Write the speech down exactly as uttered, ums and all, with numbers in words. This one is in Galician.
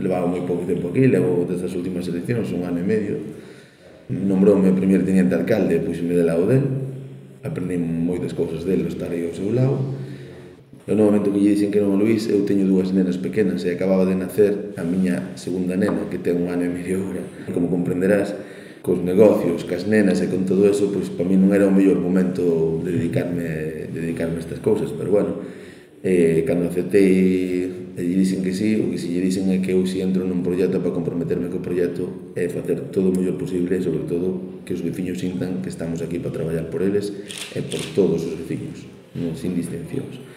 levaba moi pouco tempo aquí, levo desde as últimas eleccións, un ano e medio. Nombroume primeiro teniente alcalde e puxeme de lado del. Aprendi moitas cousas del, estar aí ao seu lado. E no momento que lle dixen que non a Luís, eu teño dúas nenas pequenas e acababa de nacer a miña segunda nena, que ten un ano e medio agora. Como comprenderás, cos negocios, cas nenas e con todo eso, pois para mí non era o mellor momento de dedicarme, de dedicarme a estas cousas, pero bueno, eh, cando aceptei e lle dixen que sí, o que si lle dixen é que eu si entro nun proxecto para comprometerme co proxecto é facer todo o mellor posible e sobre todo que os veciños sintan que estamos aquí para traballar por eles e por todos os veciños, non sin distincións.